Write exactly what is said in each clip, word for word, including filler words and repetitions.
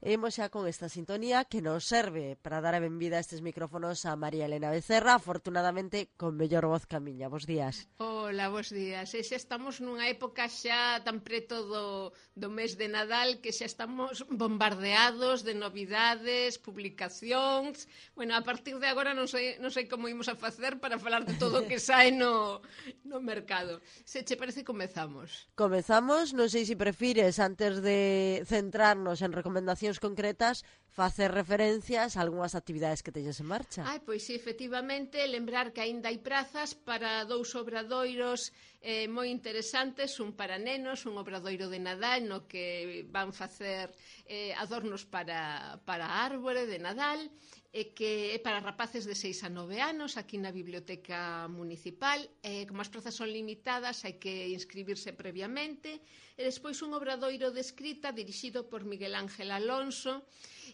E imos xa con esta sintonía que nos serve para dar a benvida a estes micrófonos a María Elena Becerra, afortunadamente con mellor voz que a miña. Bos días. Hola, bos días. E xa estamos nunha época xa tan preto do, do mes de Nadal que xa estamos bombardeados de novidades, publicacións. Bueno, a partir de agora non sei, non sei como imos a facer para falar de todo o que sae no, no mercado. Se che parece, comezamos. Comezamos, non sei se prefires, antes de centrarnos en recomendacións concretas, facer referencias a algunhas actividades que teñes en marcha. Ai, pois sí, efectivamente, lembrar que aínda hai prazas para dous obradoiros eh, moi interesantes, un para nenos, un obradoiro de Nadal no que van facer eh, adornos para, para a árbore de Nadal, e que é para rapaces de seis a nove anos aquí na Biblioteca Municipal. Eh, como as prazas son limitadas, hai que inscribirse previamente. E despois un obradoiro de escrita dirixido por Miguel Ángel Alonso,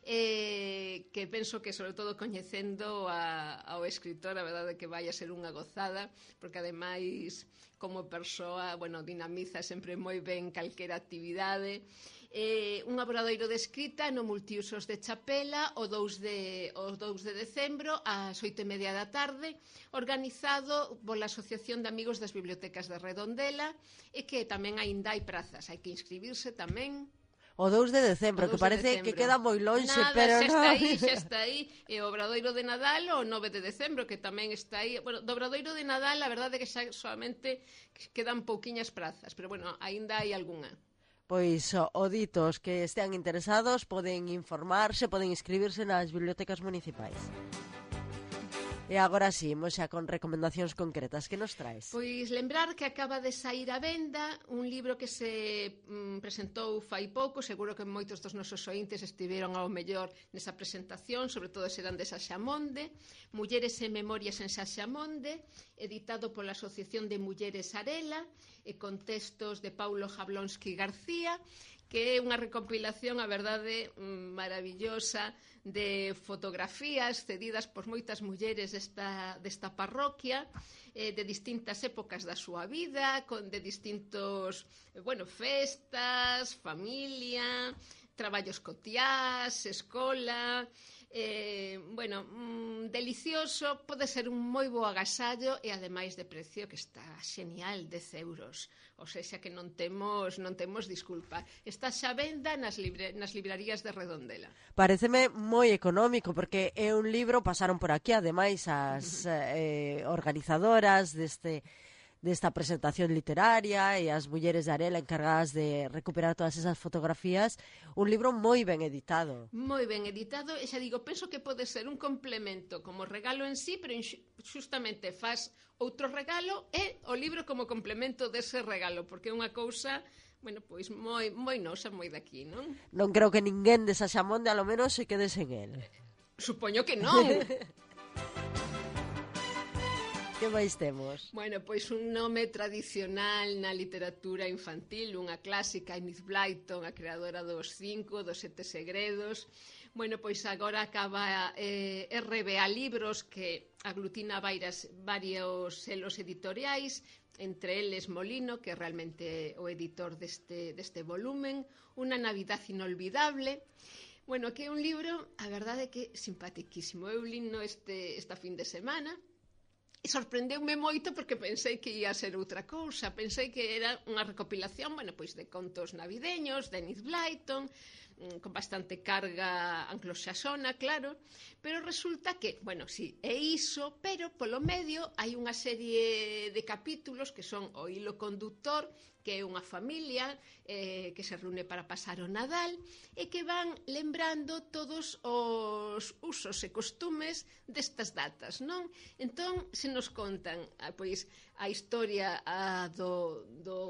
eh, que penso que, sobre todo, coñecendo a, ao escritor, a verdade que vai a ser unha gozada, porque ademais, como persoa, bueno, dinamiza sempre moi ben calquera actividade. Eh, un obradoiro de escrita no Multiusos de Chapela o dous de, o dous de decembro ás oito e media da tarde, organizado pola Asociación de Amigos das Bibliotecas de Redondela, e que tamén aínda hai prazas, hai que inscribirse tamén. O dous de decembro, que parece que queda moi lonxe, Nada, pero xa non. está aí, xa está aí. E o obradoiro de Nadal o nove de decembro, que tamén está aí. Bueno, do obradoiro de Nadal, a verdade é que xa solamente quedan pouquiñas prazas, pero bueno, aínda hai algunha. Pois o ditos que estean interesados poden informarse, poden inscribirse nas bibliotecas municipais. E agora sí, imos xa con recomendacións concretas. Que nos traes? Pois lembrar que acaba de saír a venda un libro que se mm, presentou fai pouco, seguro que moitos dos nosos ointes estiveron ao mellor nesa presentación, sobre todo serán de Saxamonde, Mulleres e Memorias en Saxamonde, editado pola Asociación de Mulleres Arela, e con textos de Paulo Jablonski García, que é unha recompilación, a verdade, maravillosa de fotografías cedidas por moitas mulleres desta, desta parroquia, eh, de distintas épocas da súa vida, con de distintos, bueno, festas, familia, traballos cotiás, escola. Eh, bueno, mm, delicioso, pode ser un moi bo agasallo e ademais de precio que está xenial, dez euros, ou seja que non temos non temos disculpa. Está xa venda nas, libre, nas librarías de Redondela. Pareceme moi económico, porque é un libro, pasaron por aquí ademais as eh, organizadoras deste desta presentación literaria e as mulleres de Arela encargadas de recuperar todas esas fotografías, un libro moi ben editado. Moi ben editado, e xa digo, penso que pode ser un complemento como regalo en sí, pero justamente faz outro regalo e o libro como complemento dese regalo, porque é unha cousa, bueno, pois moi moi nosa, moi daqui, non? Non creo que ninguén de Saxamonde a lo menos se quede sen el. Supoño que non. Que máis temos? Bueno, pois un nome tradicional na literatura infantil, unha clásica, Enid Blyton, a creadora dos cinco, dos sete segredos. Bueno, pois agora acaba eh, R B A Libros, que aglutina varias, varios selos editoriais, entre eles Molino, que é realmente o editor deste, deste volumen, Unha Navidad Inolvidable. Bueno, que é un libro, a verdade que simpatiquísimo. Eu lino este, esta fin de semana, e sorprendeume moito porque pensei que ia ser outra cousa. Pensei que era unha recopilación, bueno, pois de contos navideños, de Enid Blyton, con bastante carga anglosaxona, claro, pero resulta que, bueno, sí, é iso, pero polo medio hai unha serie de capítulos que son o hilo conductor, que é unha familia eh, que se reúne para pasar o Nadal e que van lembrando todos os usos e costumes destas datas, non? Entón, se nos contan ah, pois, a historia ah, do, do,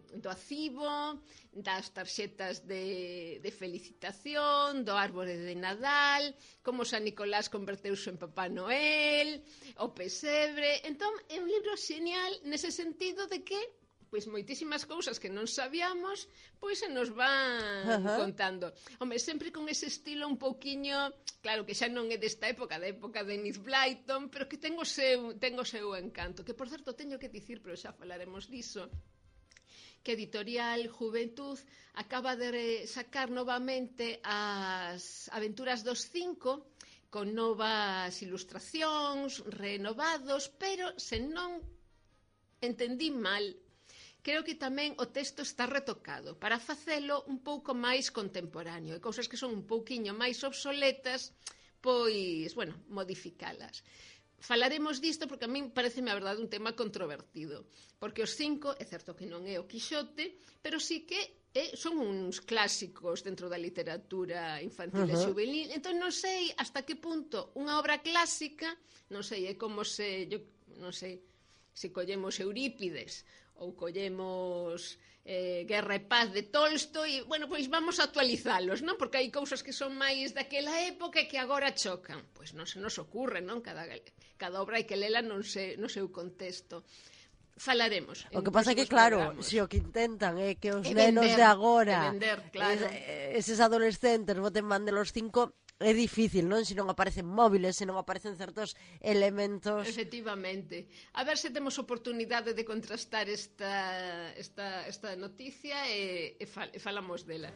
do acibo, das tarxetas de, de felicitación, do árbore de Nadal, como San Nicolás converteuse en Papá Noel, o pesebre. Entón, é un libro xenial nese sentido de que pois moitísimas cousas que non sabíamos, pois se nos van uh-huh. contando. Home, sempre con ese estilo un pouquiño, claro que xa non é desta época, da época de Enid Blyton, pero que ten o seu, ten o seu encanto, que por certo teño que dicir, pero xa falaremos diso, que Editorial Juventud acaba de sacar novamente as Aventuras dos Cinco, con novas ilustracións, renovados, pero se non entendí mal, creo que tamén o texto está retocado para facelo un pouco máis contemporáneo, e cousas que son un pouquiño máis obsoletas, pois, bueno, modificalas. Falaremos disto porque a min pareceme a verdade un tema controvertido, porque os cinco, é certo que non é o Quixote, pero sí que eh, son uns clásicos dentro da literatura infantil uh-huh. e juvenil. Entón non sei hasta que punto unha obra clásica, non sei, é como se, yo, non sei, se collemos Eurípides ou collemos eh, Guerra e Paz de Tolstoi, bueno, pois vamos a actualizalos, non? Porque hai cousas que son máis daquela época e que agora chocan. Pois non se nos ocurre, non? Cada, cada obra hai que lela non se, no seu contexto. Falaremos. O que pasa é que, claro, se si o que intentan é que os e nenos vender, de agora, vender, claro. es, eses adolescentes boten man de los cinco, é difícil, non? Se non aparecen móviles, se non aparecen certos elementos. Efectivamente. A ver se temos oportunidade de contrastar esta, esta, esta noticia e, e, fal, e falamos dela.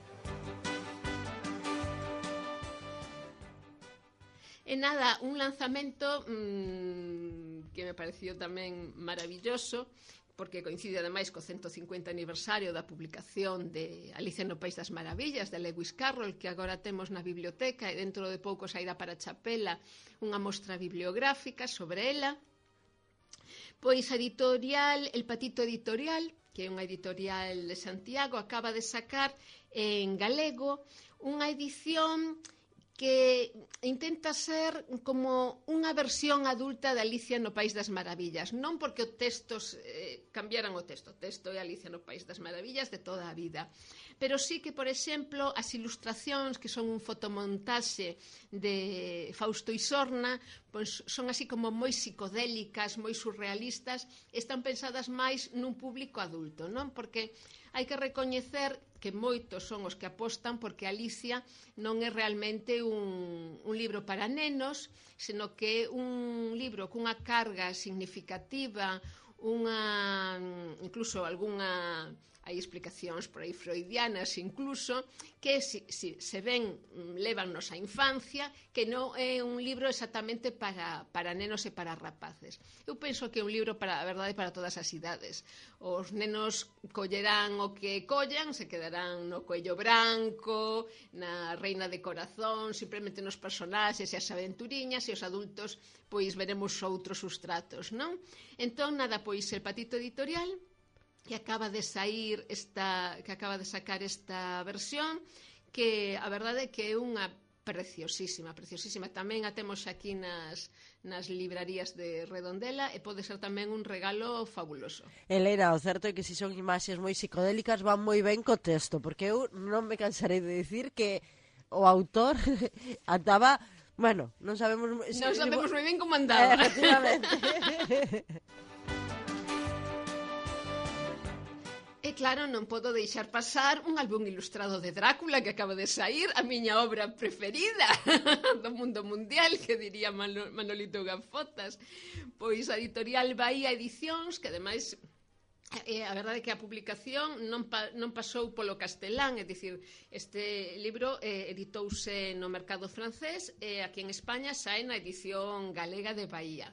E nada, un lanzamento mmm, que me pareció tamén maravilloso, porque coincide ademais co ciento cincuenta aniversario da publicación de Alicia no País das Maravillas, de Lewis Carroll, que agora temos na biblioteca, e dentro de pouco sairá para Chapela unha mostra bibliográfica sobre ela. Pois a editorial, El Patito Editorial, que é unha editorial de Santiago, acaba de sacar en galego unha edición que intenta ser como unha versión adulta de Alicia no País das Maravillas, non porque o texto eh, cambiaran o texto, o texto é Alicia no País das Maravillas de toda a vida, pero sí que, por exemplo, as ilustracións, que son un fotomontaxe de Fausto Isorna, pois son así como moi psicodélicas, moi surrealistas, están pensadas máis nun público adulto, non? Porque hai que recoñecer que moitos son os que apostan porque Alicia non é realmente un, un libro para nenos, senón que é un libro cunha carga significativa, unha, incluso algunha, hai explicacións por aí freudianas incluso, que si, si, se ven, levannos á infancia, que non é un libro exactamente para, para nenos e para rapaces. Eu penso que é un libro, para a verdade, para todas as idades. Os nenos collerán o que collan, se quedarán no Coello Branco, na Reina de Corazón, simplemente nos personaxes e as aventuriñas, e os adultos pois veremos outros sustratos, non? Entón, nada, pois El Patito Editorial, que acaba de sair esta, que acaba de sacar esta versión, que a verdade é que é unha preciosísima, preciosísima. Tamén a temos aquí nas, nas librarías de Redondela e pode ser tamén un regalo fabuloso. Elena, o certo é que se son imaxes moi psicodélicas van moi ben co texto, porque eu non me cansarei de dicir que o autor andaba, bueno, non sabemos... Non sabemos moi ben como andaba. Efectivamente. E claro, non podo deixar pasar un álbum ilustrado de Drácula que acaba de sair, a miña obra preferida do mundo mundial, que diría Manolito Gafotas. Pois a editorial Bahía Edicións, que ademais, eh, a verdade é que a publicación non, pa, non pasou polo castelán, é dicir, este libro eh, editouse no mercado francés e aquí en España sae na edición galega de Bahía.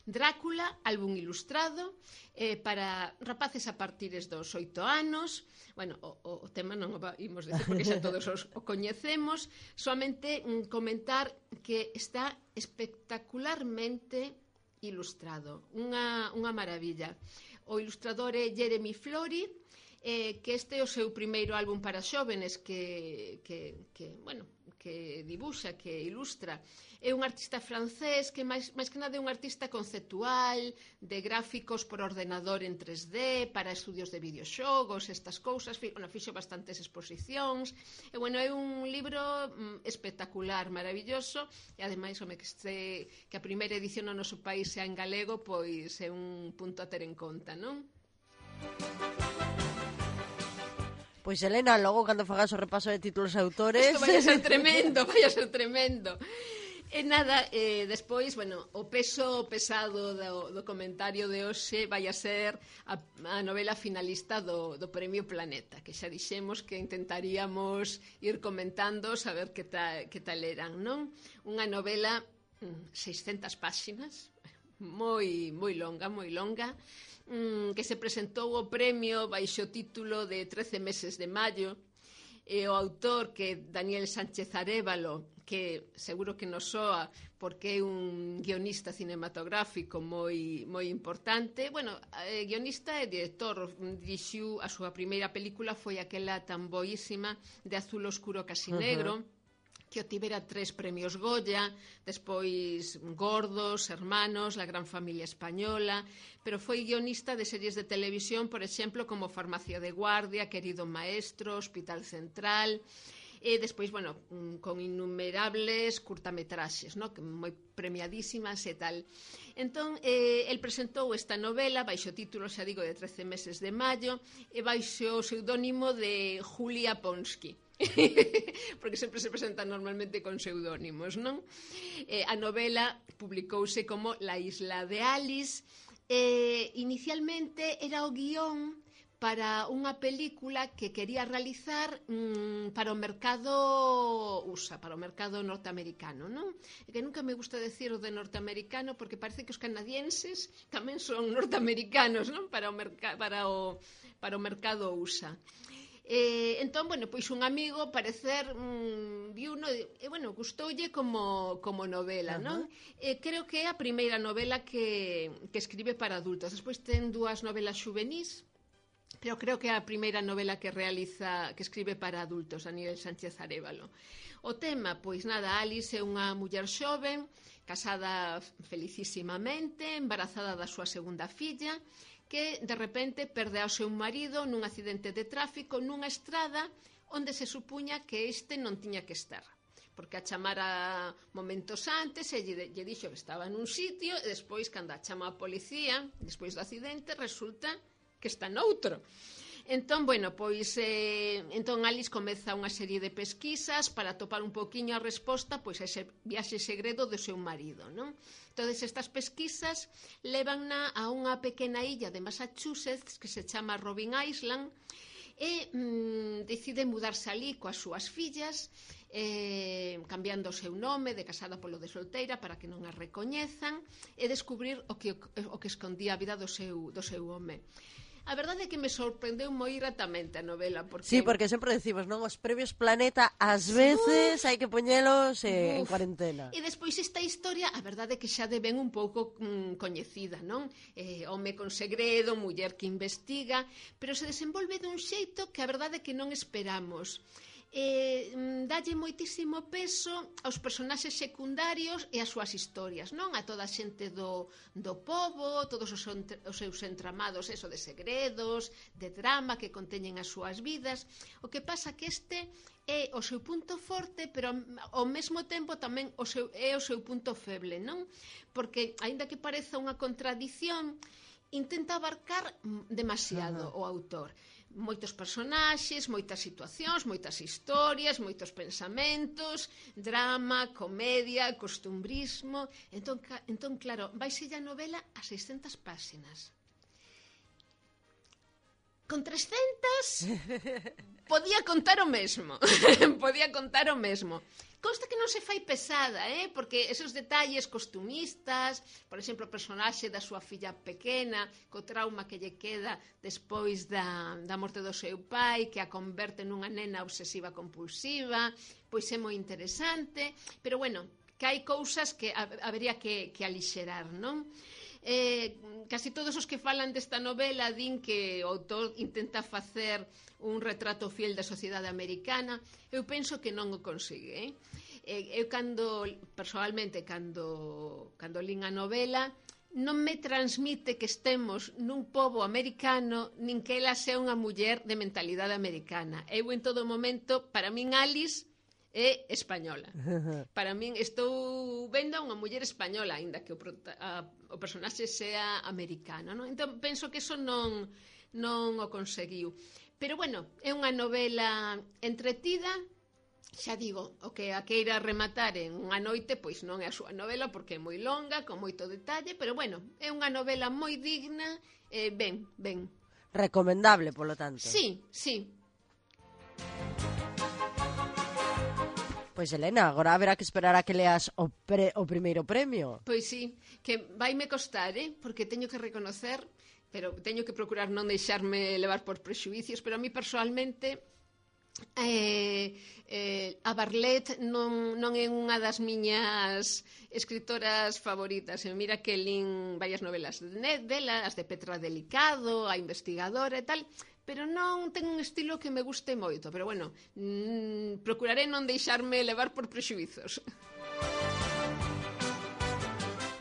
Drácula, álbum ilustrado, eh, para rapaces a partires dos oito anos. Bueno, o, o tema non o imos decir porque xa todos os, o coñecemos, solamente mm, comentar que está espectacularmente ilustrado, unha, unha maravilla. O ilustrador é Jeremy Flory, eh, que este é o seu primeiro álbum para xóvenes que, que, que bueno, que dibuxa, que ilustra. É un artista francés que máis, máis que nada é un artista conceptual, de gráficos por ordenador en tres D, para estudios de videoxogos, estas cousas, bueno, fixo bastantes exposicións, e bueno, é un libro mm, espectacular, maravilloso, e ademais, home, que, este, que a primeira edición no noso país sea en galego, pois é un punto a ter en conta, non? Pois Elena, logo cando fagas o repaso de títulos e autores... Isto vai a ser tremendo, vai a ser tremendo. E nada, eh, despois, bueno, o peso pesado do, do comentario de hoxe vai a ser a, a novela finalista do, do Premio Planeta, que xa dixemos que intentaríamos ir comentando, saber que, ta, que tal eran, non? Unha novela, seiscentas páxinas, moi, moi longa, moi longa, que se presentou o premio baixo o título de trece meses de maio, e o autor, que é Daniel Sánchez Arévalo, que seguro que nos soa porque é un guionista cinematográfico moi, moi importante. Bueno, eh, guionista e director, dirixiu a súa primeira película, foi aquela tan boísima de Azul Oscuro Casi Negro, uh-huh. que obtivera tres premios Goya, despois Gordos, Hermanos, La Gran Familia Española, pero foi guionista de series de televisión, por exemplo, como Farmacia de Guardia, Querido Maestro, Hospital Central, e despois, bueno, con innumerables curtametraxes, no? Que moi premiadísimas e tal. Entón, eh, el presentou esta novela baixo o título, xa digo, de trece meses de maio, e baixo o pseudónimo de Julia Ponsky. Porque sempre se presentan normalmente con pseudónimos, non? Eh, a novela publicouse como La isla de Alice. Eh, inicialmente era o guión para unha película que quería realizar mmm, para o mercado U S A, para o mercado norteamericano, non? E que nunca me gusta decir o de norteamericano porque parece que os canadienses tamén son norteamericanos, non? Para o, merca- para o, para o mercado U S A. Eh, entón, bueno, pois un amigo parecer mmm, viu no, e bueno, gustoulle como, como novela, non? Uh-huh. Eh, creo que é a primeira novela que, que escribe para adultos. Despois ten dúas novelas xuvenís, pero creo que é a primeira novela que realiza, que escribe para adultos, Daniel Sánchez Arévalo. O tema, pois nada, Alice é unha muller xoven, casada felicísimamente, embarazada da súa segunda filla, que de repente perde ao seu marido nun accidente de tráfico nunha estrada onde se supuña que este non tiña que estar, porque a chamara momentos antes e lle, lle dixo que estaba nun sitio e despois, cando a chama a policía despois do accidente, resulta que está noutro. Entón, bueno, pois eh, entón Alice comeza unha serie de pesquisas para topar un poquinho a resposta pois a ese viaxe segredo do seu marido, non? Todas estas pesquisas levanna a unha pequena illa de Massachusetts que se chama Robin Island e mm, decide mudarse ali coas súas fillas, eh, cambiando o seu nome de casada polo de solteira para que non a recoñezan e descubrir o que, o que escondía a vida do seu, do seu home. A verdade é que me sorprendeu moi gratamente a novela porque... Sí, porque sempre decimos, non? Os premios Planeta ás veces hai que poñelos eh, en cuarentena. E despois esta historia, a verdade é que xa de ben un pouco mm, coñecida, non? Eh, home con segredo, muller que investiga, pero se desenvolve dun xeito que a verdade é que non esperamos. Eh, dalle moitísimo peso aos personaxes secundarios e as súas historias, non? A toda a xente do, do pobo, todos os, os seus entramados, eso de segredos, de drama que conteñen as súas vidas. O que pasa que este é o seu punto forte, pero ao mesmo tempo tamén o seu, é o seu punto feble, non? Porque, aínda que pareza unha contradición, intenta abarcar demasiado uh-huh. o autor. Moitos personaxes, moitas situacións, moitas historias, moitos pensamentos, drama, comedia, costumbrismo. Entón, entón claro, vaise a novela a seiscentas páxinas. Con trescentas podía contar o mesmo. Podía contar o mesmo. Consta que non se fai pesada, eh? Porque esos detalles costumistas, por exemplo, o personaxe da súa filla pequena, co trauma que lle queda despois da, da morte do seu pai, que a converte nunha nena obsesiva compulsiva, pois é moi interesante, pero bueno, que hai cousas que habería que, que alixerar, non? Eh, casi todos os que falan desta novela din que o autor intenta facer un retrato fiel da sociedade americana. Eu penso que non o consigue, eh? Eu cando, personalmente, cando, cando lín a novela, non me transmite que estemos nun pobo americano, nin que ela sea unha muller de mentalidade americana. Eu en todo momento, para min Alice é española. Para min estou vendo unha muller española, aínda que o, a, o personaxe sea americano, non? Entón penso que eso non, non o conseguiu. Pero bueno, é unha novela entretida, xa digo, o que a queira rematar en unha noite, pois non é a súa novela porque é moi longa, con moito detalle, pero bueno, é unha novela moi digna, eh, ben, ben. Recomendable, polo tanto. Sí, sí. Pois, Elena, agora haberá que esperar a que leas o, pre, o primeiro premio. Pois sí, que vaime costar, eh? Porque teño que reconocer, pero teño que procurar non deixarme levar por prexuicios, pero a mí personalmente eh, eh, a Barlet non, non é unha das miñas escritoras favoritas. E mira que lin varias novelas de dela, as de Petra Delicado, a investigadora e tal, pero non ten un estilo que me guste moito. Pero bueno, mmm, procuraré non deixarme levar por prexuizos.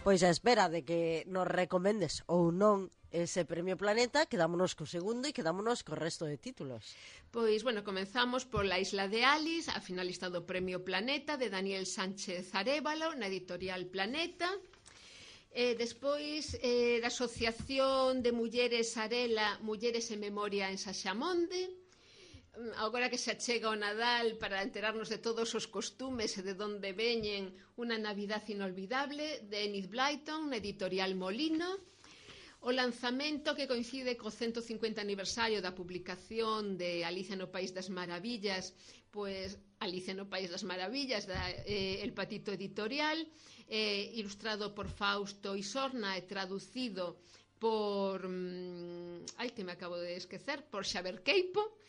Pois a espera de que nos recomendes ou non ese Premio Planeta, quedámonos co segundo e quedámonos co resto de títulos. Pois, bueno, comenzamos pola Isla de Alice, a finalista do Premio Planeta, de Daniel Sánchez Arévalo, na editorial Planeta. Eh, despois, eh, da Asociación de Mulleres Arela, Mulleres en Memoria en Saxamonde. Agora que se achega o Nadal, para enterarnos de todos os costumes e de onde veñen, Unha Navidad Inolvidable, de Enid Blyton, na editorial Molino. O lanzamento que coincide co ciento cincuenta aniversario da publicación de Alicia no País das Maravillas, pois Alicia no País das Maravillas, da eh, El Patito Editorial, eh, ilustrado por Fausto Isorna e traducido por... Mmm, ai, que me acabo de esquecer, por Xaver Queipo.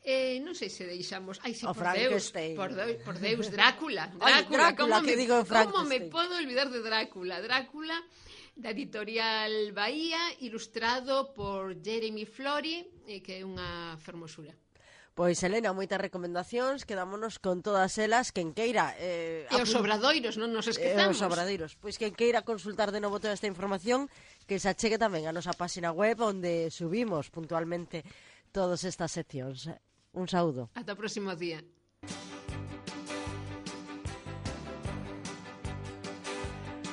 Eh, non sei se deixamos... Ai, sí, o por Deus, por, Deus, por Deus, Drácula. Drácula, Ay, Drácula, como, que me, digo como me podo olvidar de Drácula? Drácula, da editorial Bahía, ilustrado por Jeremy Flory, eh, que é unha fermosura. Pois, Elena, moitas recomendacións, quedámonos con todas elas, quen queira... Eh, e os obradoiros, non nos esquezamos. E os obradoiros. Pois quen queira consultar de novo toda esta información, que se achegue tamén a nosa página web, onde subimos puntualmente todas estas seccións. Un saúdo. Ata o próximo día.